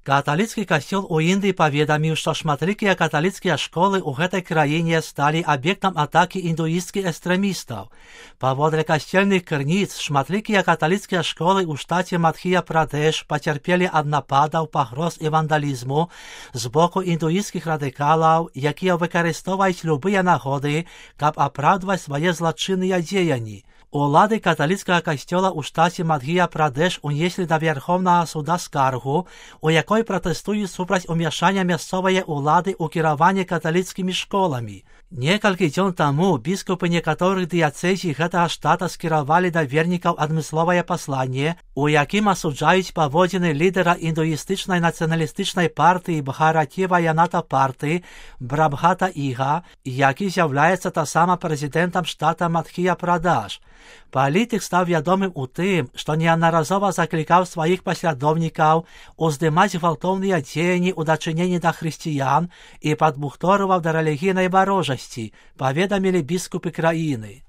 Каталіцкі касцёл у Індыі паведаміў, што шматлікія каталіцкія школы ў гэтай краіне сталі аб'ектам атакі індуісцкіх экстрэмістаў. Паводле касцельных крыніц, шматлікія каталіцкія школы ў штаце Мадх'я-Прадэш пацярпелі ад нападаў, пагроз і вандалізму з боку індуісцкіх радыкалаў, якія выкарыстоўваюць любыя нагоды, каб апраўдваць свае злачынныя дзеянні. Улады каталіцкага касцёла ў штаце Мадх'я-Прадэш унеслі да Верховнага суда скаргу, у якой пратэстуюць супраць умяшання мясцовай улады ў кіраванне каталіцкімі школамі. Некалькі дзён таму біскупы некаторых дыяцэзій гэтага штата скіравалі да вернікаў адмысловае пасланне, у якім асуджаюць паводзіны лідара індуістычнай нацыяналістычнай партыі Бхаратіва Яната Парты Брабхата Іга, які з'яўляецца таксама прэзідэнтам штата Мадх'я-Прадаш. Палітык стаў вядомым у тым, што неаднаразова заклікаў сваіх паслядоўнікаў уздымаць гвалтоўныя дзеянні ў дачыненні да хрысціян і падбухторваў да рэлігійнай варожасці, паведамілі біскупы краіны.